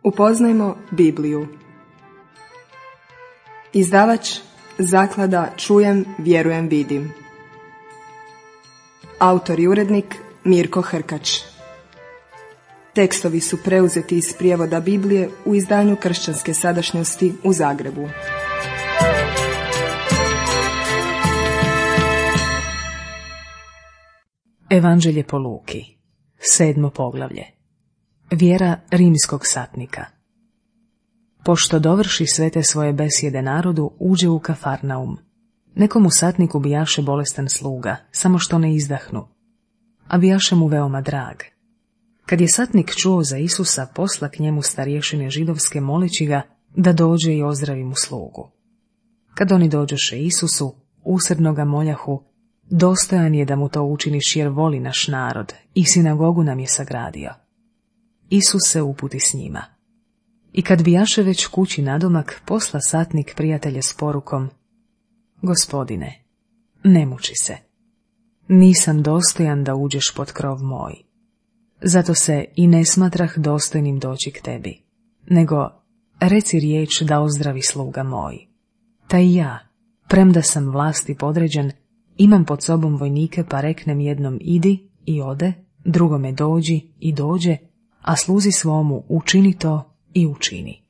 Upoznajmo Bibliju. Izdavač Zaklada Čujem, vjerujem, vidim. Autor i urednik Mirko Hrkač. Tekstovi su preuzeti iz prijevoda Biblije u izdanju Kršćanske sadašnjosti u Zagrebu. Evanđelje po Luki, 7. poglavlje. Vjera rimskog satnika. Pošto dovrši sve te svoje besjede narodu, uđe u Kafarnaum. Nekomu satniku bijaše bolestan sluga, samo što ne izdahnu, a bijaše mu veoma drag. Kad je satnik čuo za Isusa, posla k njemu starješine židovske moleći ga da dođe i ozdravi mu slugu. Kad oni dođoše Isusu, usrdno ga moljahu, dostojan je da mu to učiniš jer voli naš narod i sinagogu nam je sagradio. Isus se uputi s njima. I kad bijaše već kući nadomak, posla satnik prijatelja s porukom: Gospodine, ne muči se. Nisam dostojan da uđeš pod krov moj. Zato se i ne smatrah dostojnim doći k tebi, nego reci riječ da ozdravi sluga moj. Taj ja, premda sam vlasti podređen, imam pod sobom vojnike, pa reknem jednom idi i ode, drugome dođi i dođe, a sluzi svomu učini to i učini.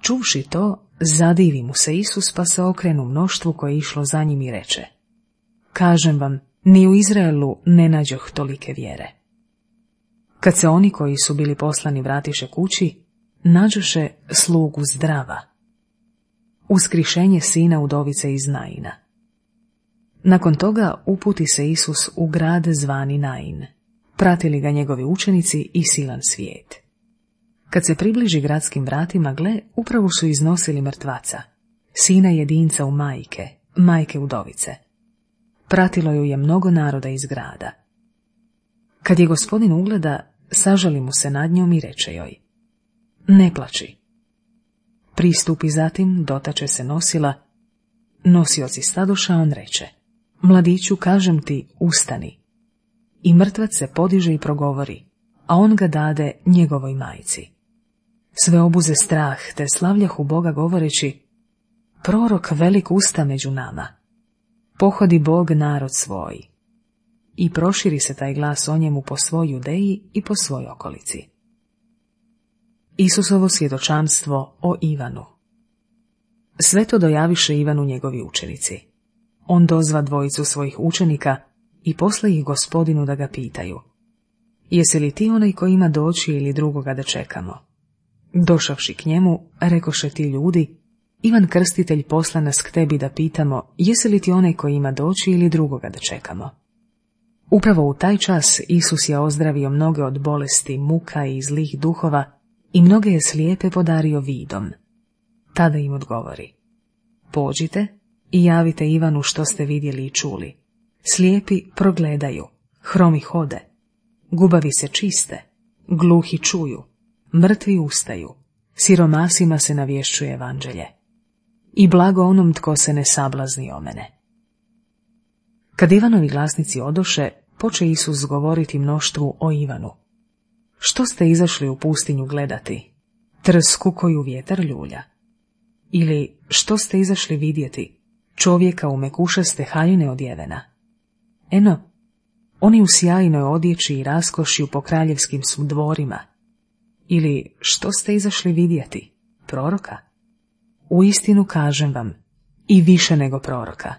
Čuvši to, zadivi mu se Isus, pa se okrenu mnoštvu koje je išlo za njim i reče: Kažem vam, ni u Izraelu ne nađoh tolike vjere. Kad se oni koji su bili poslani vratiše kući, nađoše slugu zdrava. Uskrišenje sina udovice iz Naina. Nakon toga uputi se Isus u grad zvani Nain. Pratili ga njegovi učenici i silan svijet. Kad se približi gradskim vratima, gle, upravo su iznosili mrtvaca, sina jedinca u majke udovice. Pratilo ju je mnogo naroda iz grada. Kad je gospodin ugleda, sažali mu se nad njom i reče joj: Ne plači. Pristupi zatim, dotače se nosila. Nosioci stadoša, on reče: Mladiću, kažem ti, ustani. I mrtvac se podiže i progovori, a on ga dade njegovoj majci. Sve obuze strah, te slavljahu Boga govoreći: Prorok velik usta među nama. Pohodi Bog narod svoj. I proširi se taj glas o njemu po svoj Judeji i po svoj okolici. Isusovo svjedočanstvo o Ivanu. Sve to dojaviše Ivanu njegovi učenici. On dozva dvojicu svojih učenika i posla ih gospodinu da ga pitaju: Jesi li ti onaj koji ima doći ili drugoga da čekamo? Došavši k njemu, rekoše ti ljudi: Ivan Krstitelj posla nas k tebi da pitamo, jesi li ti onaj koji ima doći ili drugoga da čekamo? Upravo u taj čas Isus je ozdravio mnoge od bolesti, muka i zlih duhova i mnoge je slijepe podario vidom. Tada im odgovori: Pođite i javite Ivanu što ste vidjeli i čuli. Slijepi progledaju, hromi hode, gubavi se čiste, gluhi čuju, mrtvi ustaju, siromasima se navješćuje evanđelje. I blago onom tko se ne sablazni o mene. Kad Ivanovi glasnici odoše, poče Isus govoriti mnoštvu o Ivanu. Što ste izašli u pustinju gledati? Trsku koju vjetar ljulja? Ili što ste izašli vidjeti? Čovjeka u mekušaste haljine odjevena? Eno, oni u sjajnoj odjeći i raskošju po kraljevskim su dvorima. Ili što ste izašli vidjeti? Proroka? Uistinu kažem vam, i više nego proroka.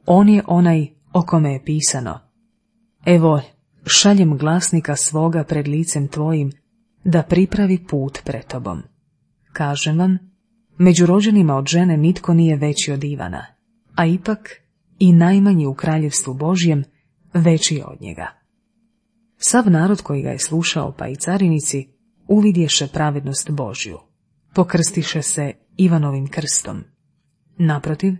On je onaj o kome je pisano: Evo, šaljem glasnika svoga pred licem tvojim, da pripravi put pred tobom. Kažem vam, među rođenima od žene nitko nije veći od Ivana, a ipak i najmanji u kraljevstvu Božjem veći je od njega. Sav narod koji ga je slušao, pa i carinici, uvidješe pravednost Božju. Pokrstiše se Ivanovim krstom. Naprotiv,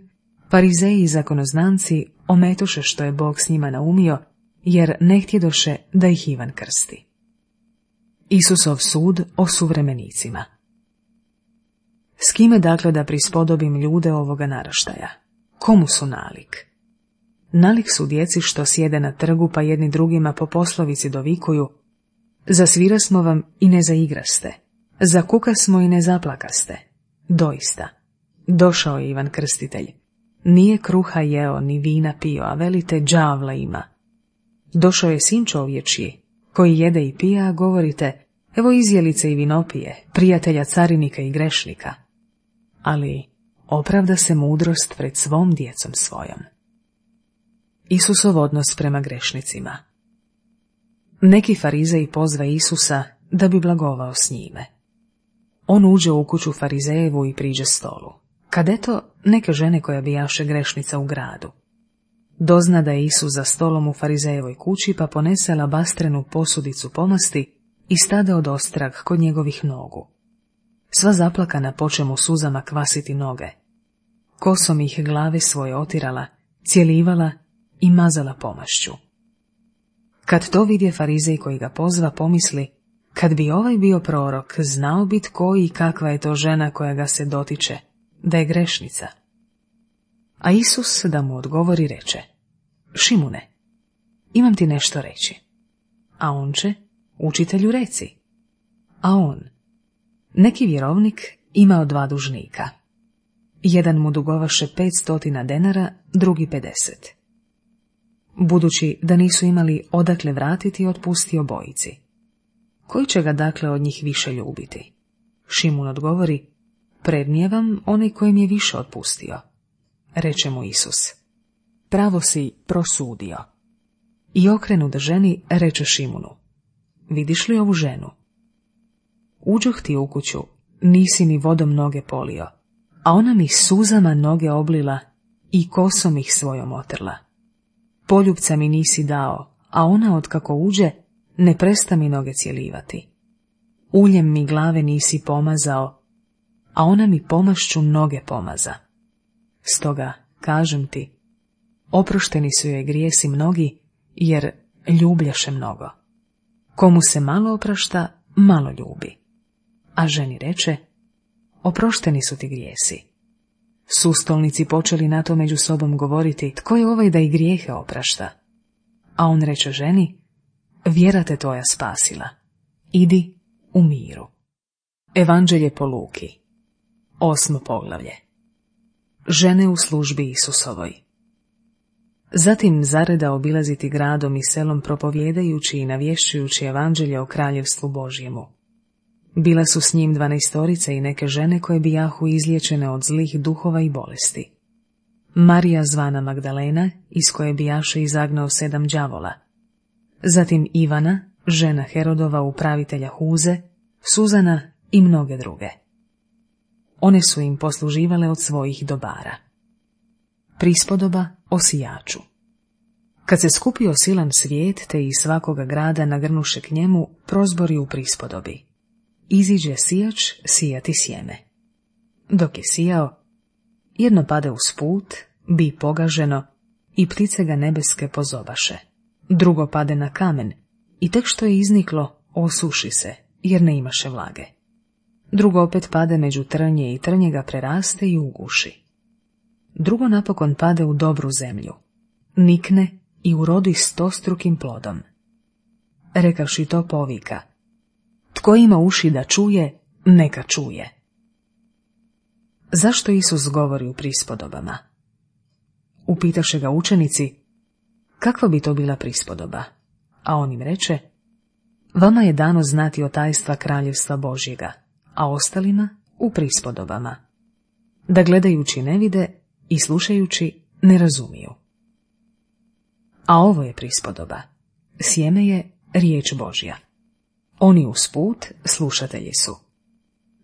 farizeji i zakonoznanci ometoše što je Bog s njima naumio, jer ne htjedoše da ih Ivan krsti. Isusov sud o suvremenicima. S kime dakle da prispodobim ljude ovoga naraštaja? Komu su nalik? Nalik su djeci što sjede na trgu, pa jedni drugima po poslovici dovikuju: Zasvirasmo vam i ne zaigraste, Zakukasmo i ne zaplakaste. Doista, došao je Ivan Krstitelj. Nije kruha jeo, ni vina pio, a velite đavla ima. Došao je sin čovječji, koji jede i pija, a govorite, evo izjelice i vinopije, prijatelja carinika i grešnika. Ali opravda se mudrost pred svom djecom svojom. Isusov odnos prema grešnicima. Neki farizeji pozva Isusa da bi blagovao s njime. On uđe u kuću farizejevu i priđe stolu. Kad eto neke žene koja bijaše grešnica u gradu. Dozna da je Isus za stolom u farizejevoj kući, pa ponese alabastrenu posudicu pomasti i stade od ostrag kod njegovih nogu. Sva zaplakana poče mu suzama kvasiti noge. Kosom ih glave svoje otirala, cjelivala i mazala pomašću. Kad to vidje farizej koji ga pozva, pomisli, kad bi ovaj bio prorok, znao bi tko i kakva je to žena koja ga se dotiče, da je grešnica. A Isus da mu odgovori reče, Šimune, imam ti nešto reći. A on će, učitelju reci. A on, neki vjerovnik imao 2 dužnika. Jedan mu dugovaše 500 denara, drugi 50. Budući da nisu imali odakle vratiti, otpustio obojici. Koji će ga dakle od njih više ljubiti? Šimun odgovori, prednije vam onaj koji mi je više otpustio. Reče mu Isus, pravo si prosudio. I okrenut ženi reče Šimunu, vidiš li ovu ženu? Uđoh ti u kuću, nisi mi vodom noge polio, a ona mi suzama noge oblila i kosom ih svojom otrla. Poljupca mi nisi dao, a ona otkako uđe, ne presta mi noge cjelivati. Uljem mi glave nisi pomazao, a ona mi pomašću noge pomaza. Stoga, kažem ti, oprošteni su joj grijesi mnogi, jer ljubljaše mnogo. Komu se malo oprašta, malo ljubi. A ženi reče, oprošteni su ti grijesi. Sustolnici počeli na to među sobom govoriti, tko je ovaj da i grijehe oprašta? A on reče ženi, vjera te tvoja spasila. Idi u miru. Evanđelje po Luki. 8. poglavlje. Žene u službi Isusovoj. Zatim zareda obilaziti gradom i selom propovjedajući i navješćujući evanđelje o kraljevstvu Božjemu. Bila su s njim 12 i neke žene koje bijahu izliječene od zlih duhova i bolesti. Marija zvana Magdalena, iz koje bijaše izagnao 7 đavola. Zatim Ivana, žena Herodova upravitelja Huze, Suzana i mnoge druge. One su im posluživale od svojih dobara. Prispodoba o sijaču. Kad se skupio silan svijet, te iz svakoga grada nagrnuše k njemu, prozbori u prispodobi. Iziđe sijač sijati sjeme. Dok je sijao, jedno pade uz put, bi pogaženo i ptice ga nebeske pozobaše. Drugo pade na kamen i tek što je izniklo, osuši se, jer ne imaše vlage. Drugo opet pade među trnje i trnje ga preraste i uguši. Drugo napokon pade u dobru zemlju, nikne i urodi 100-strukim plodom. Rekavši to povika, tko ima uši da čuje, neka čuje. Zašto Isus govori u prispodobama? Upitaše ga učenici, kakva bi to bila prispodoba? A on im reče, vama je dano znati o tajstva kraljevstva Božjega, a ostalima u prispodobama, da gledajući ne vide i slušajući ne razumiju. A ovo je prispodoba, sjeme je riječ Božja. Oni usput slušatelji su.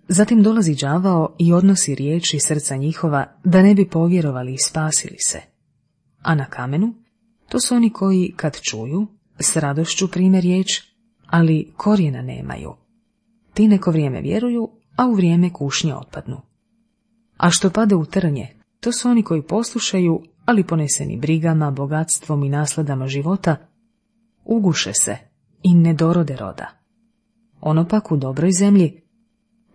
Zatim dolazi đavao i odnosi riječ iz srca njihova, da ne bi povjerovali i spasili se. A na kamenu, to su oni koji, kad čuju, s radošću prime riječ, ali korijena nemaju. Ti neko vrijeme vjeruju, a u vrijeme kušnje otpadnu. A što pade u trnje, to su oni koji poslušaju, ali poneseni brigama, bogatstvom i nasladama života, uguše se i ne dorode roda. Ono pak u dobroj zemlji,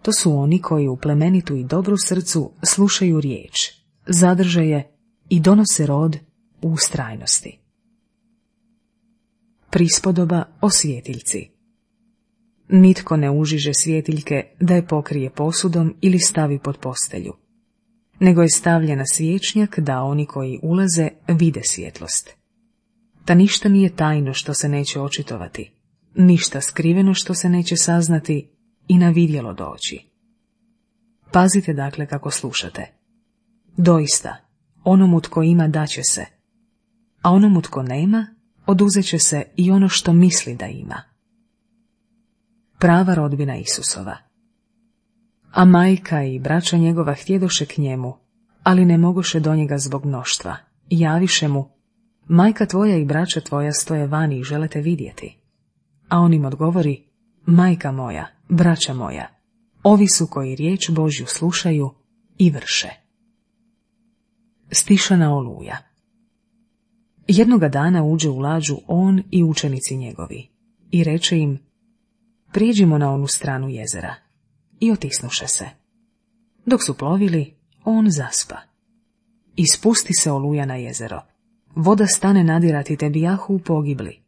to su oni koji u plemenitu i dobru srcu slušaju riječ, zadrže je i donose rod u ustrajnosti. Prispodoba o svjetiljci. nitko ne užiže svjetiljke da je pokrije posudom ili stavi pod postelju, nego je stavlja na svječnjak da oni koji ulaze vide svjetlost. Ta ništa nije tajno što se neće očitovati, ništa skriveno što se neće saznati i na vidjelo doći. Pazite dakle kako slušate. Doista, onomu tko ima daće se, a onomu tko nema oduzet će se i ono što misli da ima. Prava rodbina Isusova. A majka i braća njegova htjedoše k njemu, ali ne mogoše do njega zbog mnoštva, i javiše mu: majka tvoja i braća tvoja stoje vani i žele te vidjeti. A on im odgovori: majka moja, braća moja, ovi su koji riječ Božju slušaju i vrše. Stišana oluja. Jednoga dana uđe u lađu on i učenici njegovi i reče im: prijeđimo na onu stranu jezera. I otisnuše se. Dok su plovili, on zaspa. I spusti se oluja na jezero. Voda stane nadirati te bijahu u pogibli.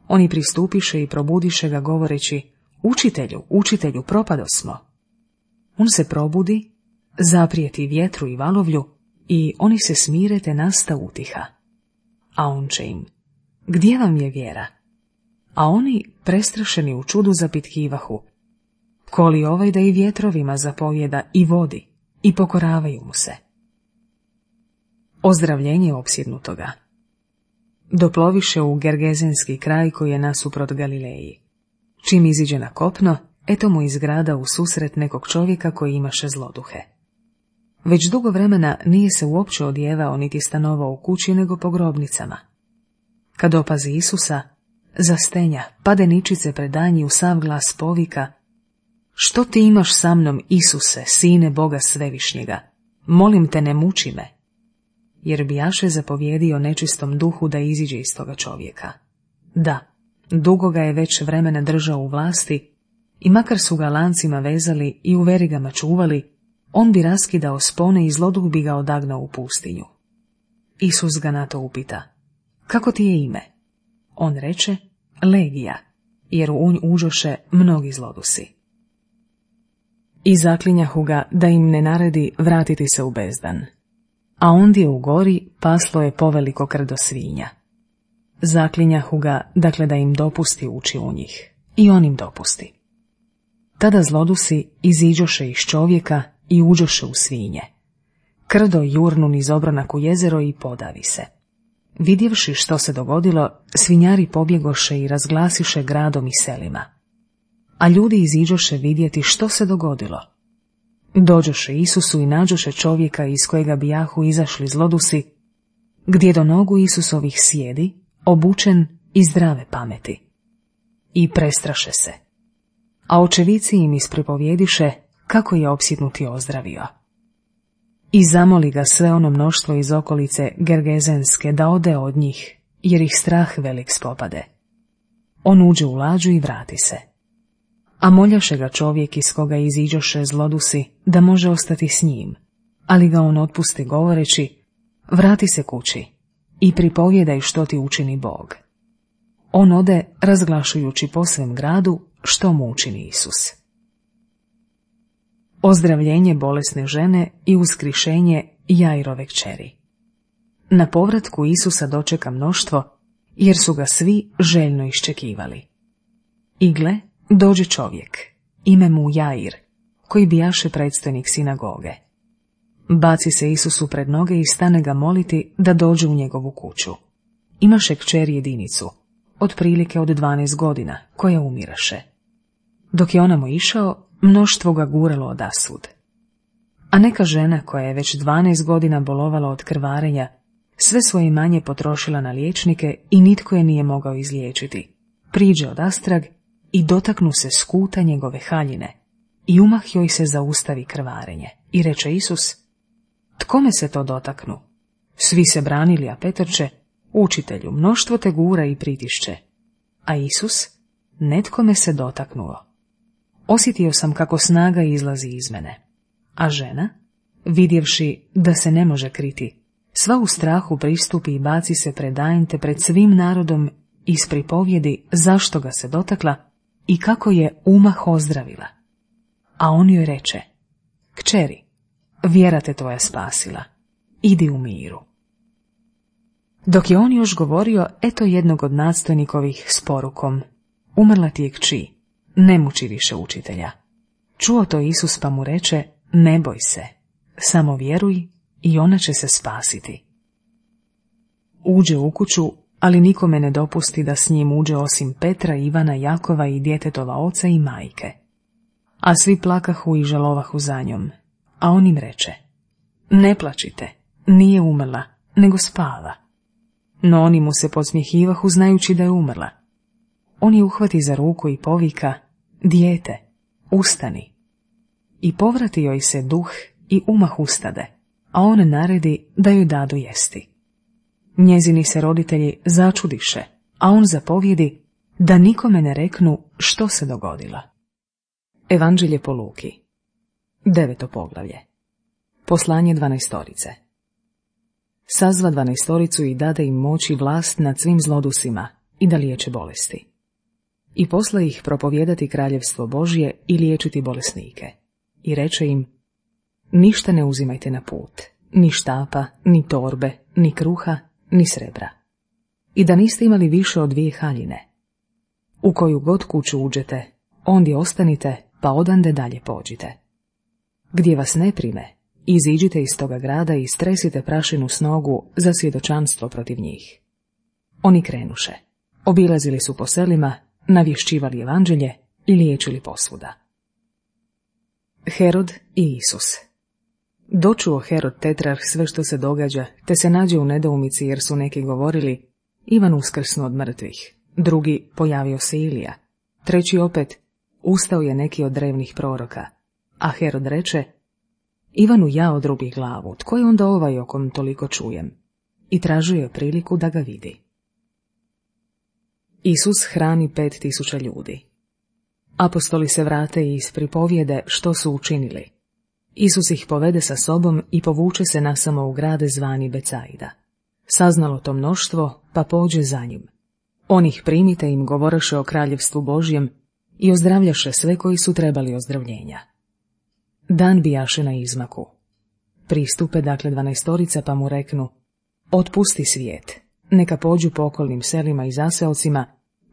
Oni pristupiše i probudiše ga govoreći: učitelju, učitelju, propadosmo. On se probudi, zaprijeti vjetru i valovlju i oni se smire te nasta utiha. A on će im: gdje vam je vjera? A oni, prestrašeni u čudu, zapitkivahu: ko li ovaj da i vjetrovima zapovjeda i vodi, i pokoravaju mu se. Ozdravljenje opsjednutoga. Doploviše u Gergezenski kraj koji je nasuprot Galileji. Čim iziđe na kopno, eto mu iz grada u susret nekog čovjeka koji imaše zloduhe. Već dugo vremena nije se uopće odjevao niti stanovao u kući nego po grobnicama. Kad opazi Isusa, zastenja, pade ničice pred danji u sav glas povika: što ti imaš sa mnom, Isuse, sine Boga svevišnjega? Molim te, ne muči me. Jer bijaše zapovjedio nečistom duhu da iziđe iz toga čovjeka. Da, dugo ga je već vremena držao u vlasti i makar su ga lancima vezali i u verigama čuvali, on bi raskidao spone i zloduh bi ga odagnao u pustinju. Isus ga na to upita: kako ti je ime? On reče: Legija, jer u nj uđoše mnogi zlodusi. I zaklinjahu ga da im ne naredi vratiti se u bezdan. A ondje u gori paslo je poveliko krdo svinja. Zaklinjahu ga, dakle, da im dopusti ući u njih. I on im dopusti. Tada zlodusi iziđoše iz čovjeka i uđoše u svinje. Krdo jurnu niz obranak u jezero i podavi se. Vidjevši što se dogodilo, svinjari pobjegoše i razglasiše gradom i selima. A ljudi iziđoše vidjeti što se dogodilo. Dođoše Isusu i nađoše čovjeka iz kojega bijahu izašli zlodusi, gdje do nogu Isusovih sjedi, obučen i zdrave pameti. I prestraše se. A očevici im ispripovjediše kako je opsjednuti ozdravio. I zamoli ga sve ono mnoštvo iz okolice Gergezenske da ode od njih, jer ih strah velik spopade. On uđe u lađu i vrati se. A moljaše ga čovjek iz koga iziđoše zlodusi da može ostati s njim, ali ga on otpusti govoreći: vrati se kući i pripovjedaj što ti učini Bog. On ode razglašujući po svem gradu što mu učini Isus. Ozdravljenje bolesne žene i uskrišenje Jairove kćeri. Na povratku Isusa dočeka mnoštvo, jer su ga svi željno iščekivali. I gle, dođe čovjek, ime mu Jair, koji bijaše predstojnik sinagoge. Baci se Isusu pred noge i stane ga moliti da dođe u njegovu kuću. Imaše kćer jedinicu, otprilike od 12 godina, koja umiraše. Dok je onamo išao, mnoštvo ga guralo odasvud. A neka žena koja je već 12 godina bolovala od krvarenja, sve svoje imanje potrošila na liječnike i nitko je nije mogao izliječiti. Priđe odastrag i dotaknu se skuta njegove haljine i umah joj se zaustavi krvarenje. I reče Isus: tko me se to dotaknu? Svi se branili, a Petrče: učitelju, mnoštvo te gura i pritišće. A Isus: netko me se dotaknuo. Osjetio sam kako snaga izlazi iz mene. A žena, vidjevši da se ne može kriti, sva u strahu pristupi i baci se pred Ajn te pred svim narodom ispripovjedi zašto ga se dotakla i kako je umah ozdravila. A on joj reče: Kćeri, vjera te tvoja spasila, idi u miru. Dok je on još govorio, eto jednog od nadstojnikovih s porukom: Umrla ti je kći, ne muči više učitelja. Čuo to Isus pa mu reče: Ne boj se, samo vjeruj i ona će se spasiti. Uđe u kuću, ali nikome ne dopusti da s njim uđe osim Petra, Ivana, Jakova i djetetova oca i majke. A svi plakahu i žalovahu za njom, a on im reče: Ne plačite, nije umrla, nego spava. No oni mu se podsmjehivahu znajući da je umrla. On je uhvati za ruku i povika: Dijete, ustani. I povrati joj se duh i umah ustade, a on naredi da joj dadu jesti. Njezini se roditelji začudiše, a on zapovjedi da nikome ne reknu što se dogodilo. Evanđelje po Luki, 9. poglavlje. Poslanje 12. Sazva 12 i dade im moć i vlast nad svim zlodusima i da liječe bolesti. I posla ih propovijedati kraljevstvo Božje i liječiti bolesnike. I reče im: Ništa ne uzimajte na put, ni štapa, ni torbe, ni kruha, ni srebra. I da niste imali više od 2 haljine. U koju god kuću uđete, ondje ostanite, pa odande dalje pođite. Gdje vas ne prime, iziđite iz toga grada i stresite prašinu s nogu za svjedočanstvo protiv njih. Oni krenuše, obilazili su po selima, navješćivali evanđelje i liječili posvuda. Herod i Isus. Dočuo Herod tetrarh sve što se događa, te se nađe u nedoumici jer su neki govorili: Ivan uskrsnu od mrtvih, drugi: pojavio se Ilija, treći opet: ustao je neki od drevnih proroka. A Herod reče: Ivanu ja odrubi glavu, tko je onda ovaj o kom toliko čujem? I tražio je priliku da ga vidi. Isus hrani 5.000 ljudi. Apostoli se vrate i ispripovijede što su učinili. Isus ih povede sa sobom i povuče se nasamo u grade zvani Becajda. Saznalo to mnoštvo, pa pođe za njim. On ih primite im govoreše o kraljevstvu Božjem i ozdravljaše sve koji su trebali ozdravljenja. Dan bijaše na izmaku. Pristupe dakle 12 pa mu reknu: Otpusti svijet, neka pođu po okolnim selima i zaseocima,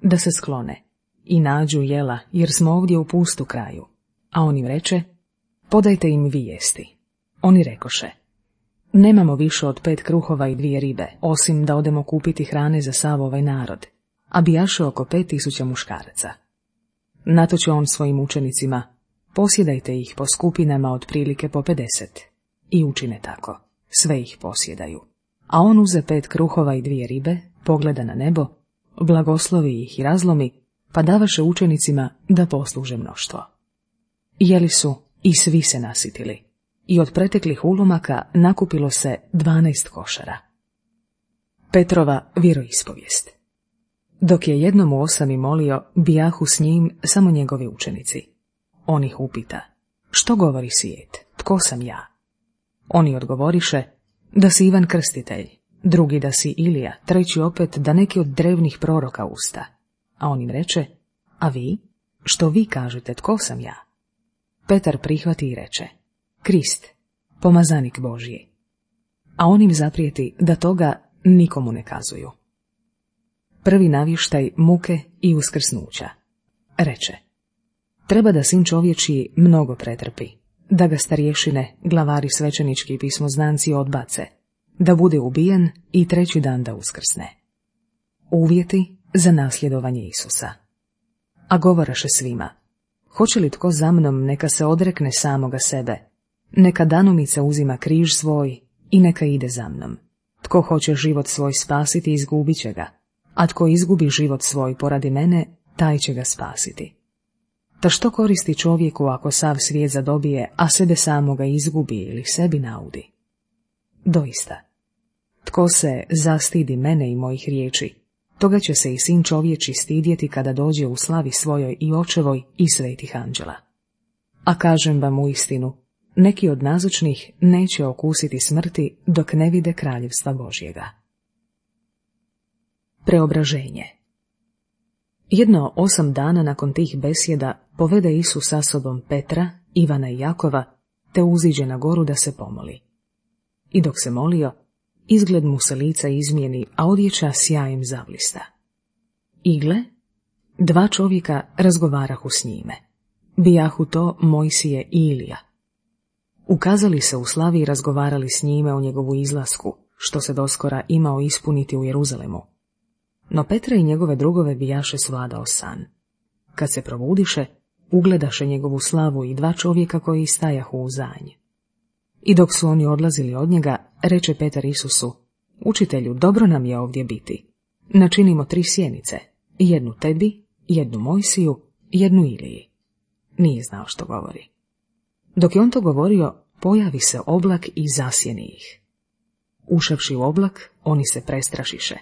da se sklone i nađu jela, jer smo ovdje u pustu kraju. A on im reče: Podajte im vi jesti. Oni rekoše: Nemamo više od 5 kruhova i 2 ribe, osim da odemo kupiti hrane za sav ovaj narod, a bijaše oko 5.000 muškaraca. Nato će on svojim učenicima: Posjedajte ih po skupinama otprilike po 50. I učine tako, sve ih posjedaju. A on uze 5 kruhova i 2 ribe, pogleda na nebo, blagoslovi ih i razlomi, pa davaše učenicima da posluže mnoštvo. Jeli su i svi se nasitili, i od preteklih ulomaka nakupilo se 12 košara. Petrova vjeroispovijest. Dok je jednom u 8 molio, bijahu s njim samo njegovi učenici. On ih upita: Što govori svijet, tko sam ja? Oni odgovoriše: Da si Ivan Krstitelj, drugi da si Ilija, treći opet da neki od drevnih proroka usta. A on im reče: A vi? Što vi kažete, tko sam ja? Petar prihvati i reče: Krist, pomazanik Božji. A on im zaprijeti da toga nikomu ne kazuju. Prvi navještaj muke i uskrsnuća. Reče: Treba da sin čovječiji mnogo pretrpi, da ga starješine, glavari svećenički i pismoznanci odbace, da bude ubijen i 3. dan da uskrsne. Uvjeti za nasljedovanje Isusa. A govoraše svima: Hoće li tko za mnom, neka se odrekne samoga sebe, neka danomice uzima križ svoj i neka ide za mnom. Tko hoće život svoj spasiti, izgubit će ga, a tko izgubi život svoj poradi mene, taj će ga spasiti. Ta što koristi čovjeku ako sav svijet zadobije, a sebe samoga izgubi ili sebi naudi? Doista, tko se zastidi mene i mojih riječi, toga će se i sin čovječi stidjeti kada dođe u slavi svojoj i očevoj i svetih anđela. A kažem vam uistinu, neki od nazočnih neće okusiti smrti dok ne vide kraljevstva Božjega. Preobraženje. Jedno 8 dana nakon tih besjeda povede Isus sa sobom Petra, Ivana i Jakova, te uziđe na goru da se pomoli. I dok se molio, izgled mu se lica izmijeni, a odjeća sjajem zablista. I gle, 2 čovjeka razgovarahu s njime. Bijahu to Mojsije i Ilija. Ukazali se u slavi i razgovarali s njime o njegovu izlasku, što se doskora imao ispuniti u Jeruzalemu. No Petra i njegove drugove bijaše svladao san. Kad se probudiše, ugledaše njegovu slavu i 2 čovjeka koji stajahu u zanj. I dok su oni odlazili od njega, reče Petar Isusu: Učitelju, dobro nam je ovdje biti. Načinimo 3 sjenice, 1 tebi, 1 Mojsiju, 1 Iliji. Nije znao što govori. Dok je on to govorio, pojavi se oblak i zasjeni ih. Ušavši u oblak, oni se prestrašiše,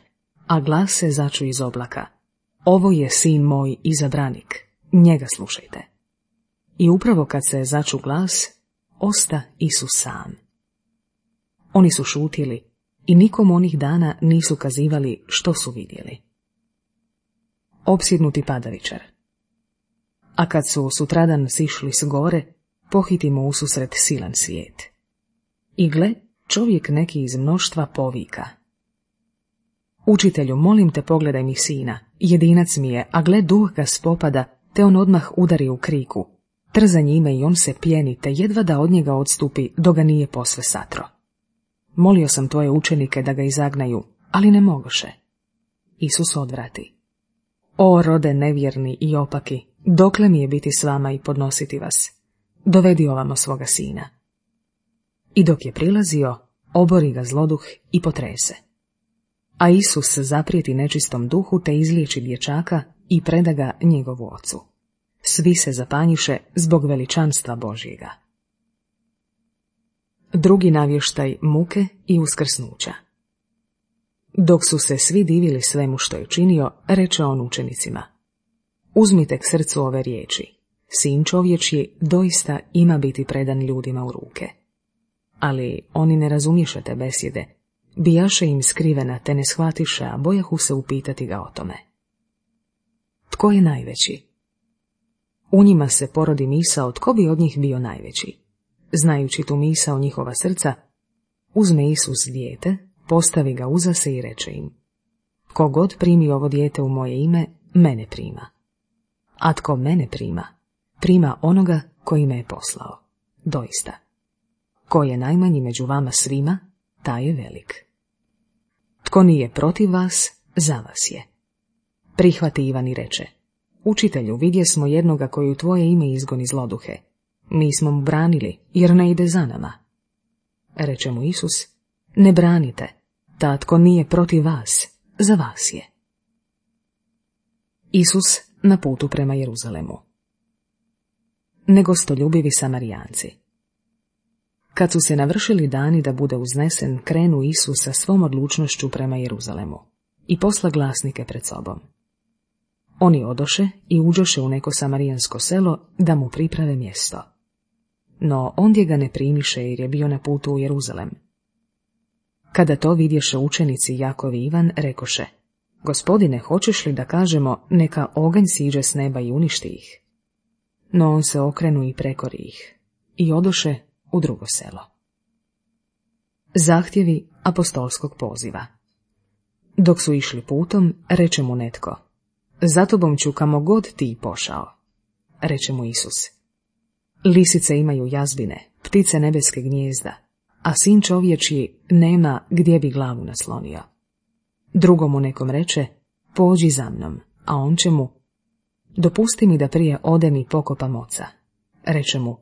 a glas se začu iz oblaka: Ovo je sin moj izabranik, njega slušajte. I upravo kad se začu glas, osta Isus sam. Oni su šutili i nikom onih dana nisu kazivali što su vidjeli. Opsjednuti padavičar. A kad su sutradan sišli s gore, pohitimo ususret silan svijet. I gle, čovjek neki iz mnoštva povika: Učitelju, molim te, pogledaj mi sina, jedinac mi je, a gle, duh ga spopada, te on odmah udari u kriku. Trza njime i on se pjeni, te jedva da od njega odstupi, dok ga nije posve satro. Molio sam tvoje učenike da ga izagnaju, ali ne mogoše. Isus odvrati: O rode nevjerni i opaki, dokle mi je biti s vama i podnositi vas? Dovedi ovamo svoga sina. I dok je prilazio, obori ga zloduh i potrese. A Isus zaprijeti nečistom duhu te izliječi dječaka i preda ga njegovu ocu. Svi se zapanjiše zbog veličanstva Božjega. Drugi navještaj muke i uskrsnuća. Dok su se svi divili svemu što je činio, reče on učenicima: Uzmite k srcu ove riječi. Sin čovječji doista ima biti predan ljudima u ruke. Ali oni ne razumješe te besjede, bijaše im skrivena te ne shvatiše, a bojahu se upitati ga o tome. Tko je najveći? U njima se porodi misao tko bi od njih bio najveći. Znajući tu misao njihova srca, uzme Isus dijete, postavi ga uza se i reče im: Ko god primi ovo dijete u moje ime, mene prima. A tko mene prima, prima onoga koji me je poslao. Doista, ko je najmanji među vama svima, taj je velik. Tko nije protiv vas, za vas je. Prihvati Ivan i reče: Učitelju, vidjesmo jednoga koji u tvoje ime izgoni zloduhe. Mi smo mu branili, jer ne ide za nama. Reče mu Isus: Ne branite, ta tko nije protiv vas, za vas je. Isus na putu prema Jeruzalemu. Negostoljubivi Samarijanci. Kad su se navršili dani da bude uznesen, krenu Isus sa svom odlučnošću prema Jeruzalemu i posla glasnike pred sobom. Oni odoše i uđoše u neko samarijansko selo da mu priprave mjesto. No ondje ga ne primiše jer je bio na putu u Jeruzalem. Kada to vidješe učenici Jakov i Ivan, rekoše: Gospodine, hoćeš li da kažemo neka oganj siđe s neba i uništi ih? No on se okrenu i prekori ih i odoše u drugo selo. Zahtjevi apostolskog poziva. Dok su išli putom, reče mu netko: Za tobom ću kamo god ti pošao. Reče mu Isus: Lisice imaju jazbine, ptice nebeske gnijezda, a sin čovječji nema gdje bi glavu naslonio. Drugomu nekom reče: Pođi za mnom, a on će mu: Dopusti mi da prije odem i pokopam oca. Reče mu: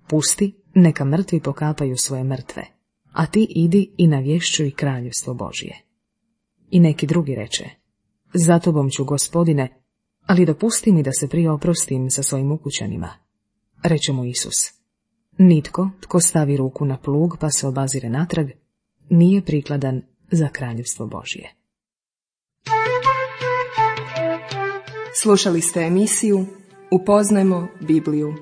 Pusti, neka mrtvi pokapaju svoje mrtve, a ti idi i navješćuj kraljevstvo Božje. I neki drugi reče: Za tobom ću, Gospodine, ali dopusti mi da se prije oprostim sa svojim ukućanima. Reče mu Isus: Nitko tko stavi ruku na plug pa se obazire natrag, nije prikladan za kraljevstvo Božje. Slušali ste emisiju Upoznajmo Bibliju.